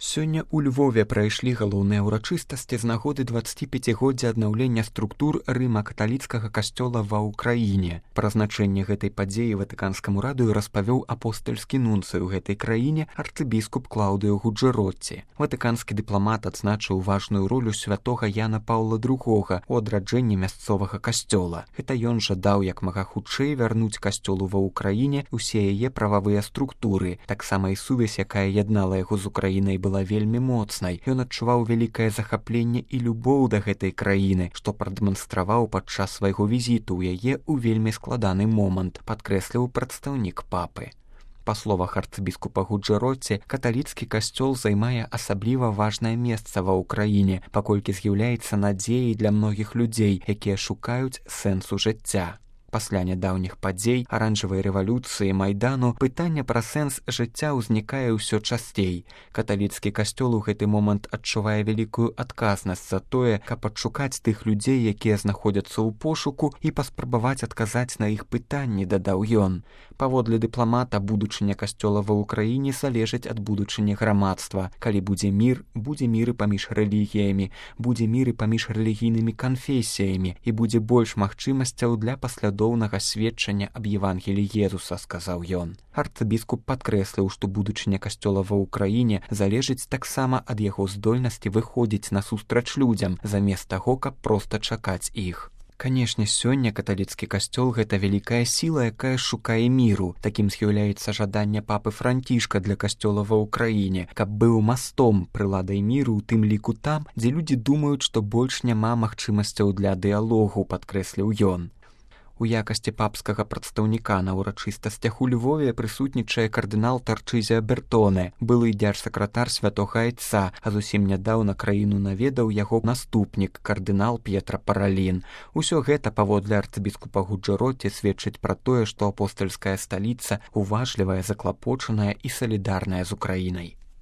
Сёння ў Львове прайшлі галоўныя ўрачыстасці з нагоды 25годдзя аднаўлення структур рыма-каталіцкага касцёла ва ўкраіне. Пра значэнне гэтай падзеі ватыканскаму радыё распавёў апостальскі нунцый у гэтай краіне арцыбіскуп Клаўдыё Гуджэротці. Ватыканскі дыпламат адзначыў важную ролю святога Яна Паўла II у адраджэнні мясцовага касцёла. Гэта ён жадаў як мага хутчэй вярнуць касцёлу ва ўкраіне ўсе яе прававыя структуры. Таксама і сувязь, якая яднала яго з Украінай, была вельмі моцнай. Ён адчуваў вялікае захапленне і любоў да гэтай краіны, што прадэманстраваў падчас свайго візіту ў яе ў вельмі складаны момант, падкрэсліў прадстаўнік папы. Па словах арцыбіскупа Гуджэротці, каталіцкі касцёл займае асабліва важнае месца ва ўкраіне, паколькі з'яўляецца надзеяй для многіх людзей, якія шукаюць сэнсу жыцця. Пасля нядаўніх падзей, аранжавай рэвалюцыі, майдану, пытанне пра сэнс жыцця ўзнікае ўсё часцей. Каталіцкі касцёл у гэты момант адчувае вялікую адказнасць за тое, каб адшукаць тых людзей, якія знаходзяцца ў пошуку, і паспрабаваць адказаць на іх пытанні, дадаў ён. Паводле дыпламата, будучыня касцёла ва ўкраіне залежыць ад будучыні грамадства. Калі будзе мір і паміж рэлігіямі, будзе мір і паміж рэлігійнымі канфесіямі, і будзе больш магчымасцяў для паслядоўнага сведчання аб Евангеліі Езуса, сказаў ён. Арцыбіскуп падкрэсліў, што будучыня касцёла ва ўкраіне залежыць таксама ад яго здольнасці выходзіць насустрач людзям, замест таго, каб проста чакаць іх. Канешне, сёння каталіцкі касцёл — гэта вялікая сіла, якая шукае міру. Такім з'яўляецца жаданне папы Францішка для касцёла ва ўкраіне, каб быў мастом, прыладай міру, у тым ліку там, дзе людзі думаюць, што больш няма магчымасцяў для дыялогу, падкрэсліў ён. У якасці папскага прадстаўніка на ўрачыстасцях у Львове прысутнічае кардынал Тарчызія Бертоне, былы дзяржсакратар святога Айца, а зусім нядаўна краіну наведаў яго наступнік, кардынал П'етра Паралін. Усё гэта, паводле арцыбіскупа Гуджэротці, сведчыць пра тое, што апостальская сталіца уважлівая, заклапочаная і салідарная з Украінай.